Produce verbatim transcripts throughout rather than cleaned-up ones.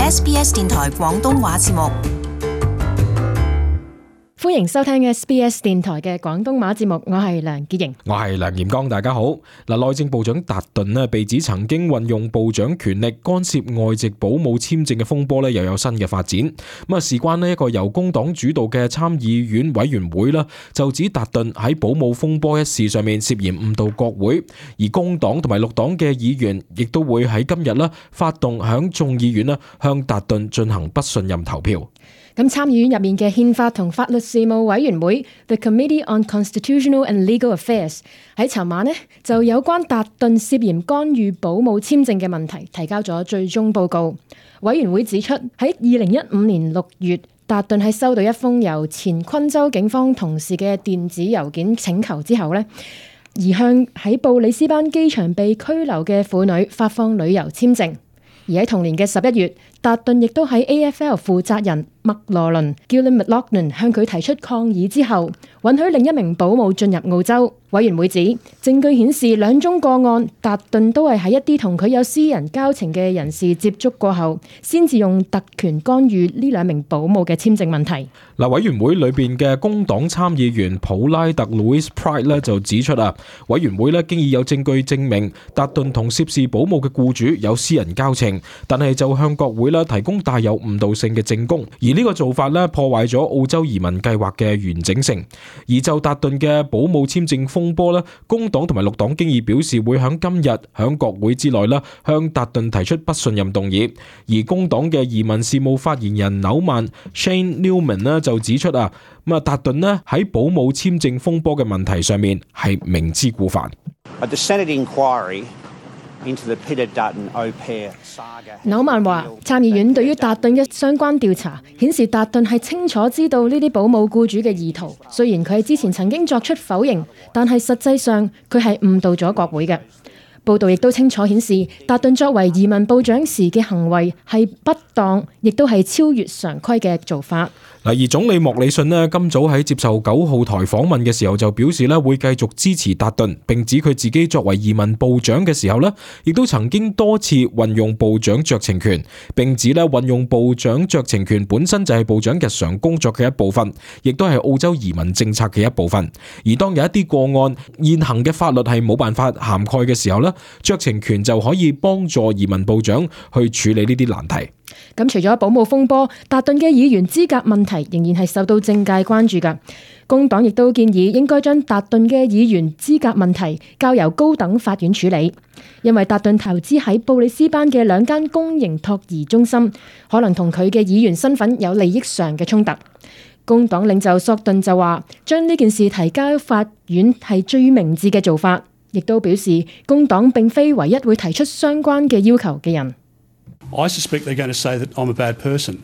S B S 電台廣東話節目。歡迎收聽 S B S 電台嘅廣東話節目，我係梁潔瑩，我係梁炎光，大家好。嗱，內政部長達頓咧被指曾經運用部長權力干涉外籍保姆簽證嘅風波咧，又有新嘅發展。咁啊，事關咧一個由工黨主導嘅參議院委員會啦，就指達頓喺保姆風波一事上面涉嫌誤導國會，而工黨同埋綠黨嘅議員亦都會喺今日啦發動響眾議院啦向達頓進行不信任投票。咁參議院入面嘅憲法同法律事務委員會 The Committee on Constitutional and Legal Affairs 喺尋晚呢就有關達頓涉嫌干預保姆簽證嘅問題提交咗最終報告。委員會指出，喺二零一五年六月，達頓喺收到一封由前昆州警方同事嘅電子郵件請求之後呢，而向喺布里斯班機場被拘留嘅婦女發放旅遊簽證。而喺同年嘅十一月，達頓亦都喺 A F L 負責人麥羅倫 Gillian McLaughlin 向佢提出抗議之後，允許另一名保姆進入澳洲。委員會指，證據顯示兩宗個案，達頓都係喺一啲同佢有私人交情嘅人士接觸過後，先至用特權干預呢兩名保姆嘅簽證問題。嗱，委員會裏邊嘅工黨參議員普拉特 Louis Pride 咧就指出啊，委員會咧經已有證據證明達頓同涉事保姆嘅僱主有私人交情，但係就向國會咧提供帶有誤導性嘅證供，而呢個做法咧破壞咗澳洲移民計劃嘅完整性。而就達頓嘅保姆簽證風波咧，工黨同埋綠黨經已表示會響今日響國會之內咧向達頓提出不信任動議，而工黨嘅移民事務發言人紐曼 Shane Newman 咧就指出啊，咁啊達頓咧喺保姆簽證風波嘅問題上面係明知故犯。The Senate inquiry into the Peter Dutton au pair saga。紐曼話，參議院對於達頓嘅相關調查顯示，達頓係清楚知道呢啲保姆僱主嘅意圖。雖然佢喺之前曾經作出否認，但係實際上佢係誤導咗國會嘅。報道亦都清楚顯示，達頓作為移民部長時嘅行為係不當，亦都係超越常規嘅做法。而總理莫里遜咧今早喺接受九號台訪問嘅時候就表示咧會繼續支持達頓，並指佢自己作為移民部長嘅時候咧，亦都曾經多次運用部長酌情權，並指咧運用部長酌情權本身就係部長日常工作嘅一部分，亦都係澳洲移民政策嘅一部分。而當有一啲個案現行嘅法律係冇辦法涵蓋嘅時候咧，酌情權就可以幫助移民部長去處理呢啲難題。咁除咗保姆風波，達頓嘅議員資格問題仍然係受到政界關注㗎。工黨亦都建議應該將達頓嘅議員資格問題交由高等法院處理，因為達頓投資喺布里斯班嘅兩間公營托兒中心，可能同佢嘅議員身份有利益上嘅衝突。工黨領袖索頓就話，將呢件事提交法院係最明智嘅做法，亦都表示工黨並非唯一會提出相關嘅要求嘅人。I suspect they're going to say that I'm a bad person.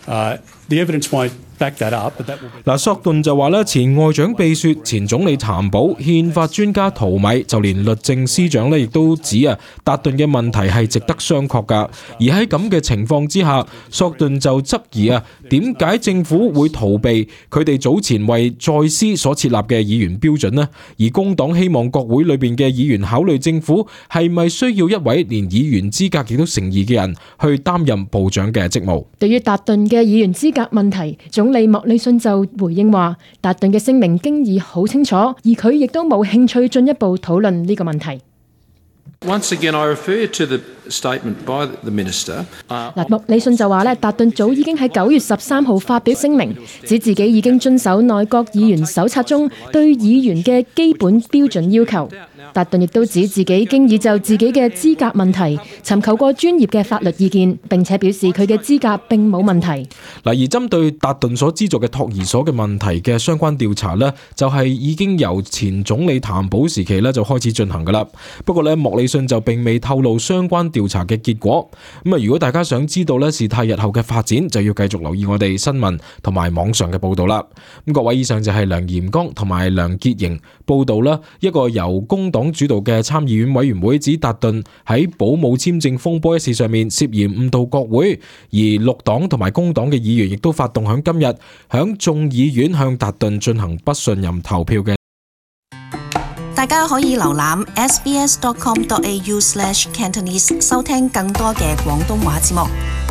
Uh, the evidence won't back that up, but that will be... 嗱，索頓就話咧，前外長秘書、前總理譚寶、憲法專家陶米，就連律政司長咧，亦都指啊，達頓嘅問題係值得商榷噶。而喺咁嘅情況之下，索頓就質疑啊，點解政府會逃避佢哋早前為在司所設立嘅議員標準呢？而工黨希望國會裏邊嘅議員考慮政府係咪需要一位連議員資格亦都成疑嘅人去擔任部長嘅職務。對於達頓嘅議員資格問題，總理莫里遜就回應話，達頓嘅聲明經已好清楚，而佢亦都冇興趣進一步討論呢個問題。Once again, I refer to the statement by the minister. 嗱，莫里遜就話咧，達頓早已經喺九月十三號發表聲明，指自己已經遵守內閣議員手冊中對議員嘅基本標準要求。達頓亦都指自己經已就自己嘅資格問題尋求過專業嘅法律意見，並且表示佢嘅資格並冇問題。嗱，而針對達頓所資助嘅托兒所嘅問題嘅相關調查呢，就係已經由前總理譚寶時期呢就開始進行噶啦。不過呢，莫里遜就並未透露相關調查嘅結果。咁啊，如果大家想知道呢事態日後嘅發展，就要繼續留意我哋新聞同埋網上嘅報道啦。咁各位，以上就係梁炎光同埋梁潔瑩報道啦，一個由工黨主導嘅參議院委員會指達頓喺保姆簽證風波一事上面涉嫌誤導國會，而綠黨同埋工黨嘅議員亦都發動響今日響眾議院向達頓進行不信任投票嘅。大家可以瀏覽 s b s dot com dot a u slash cantonese 收聽更多嘅廣東話節目。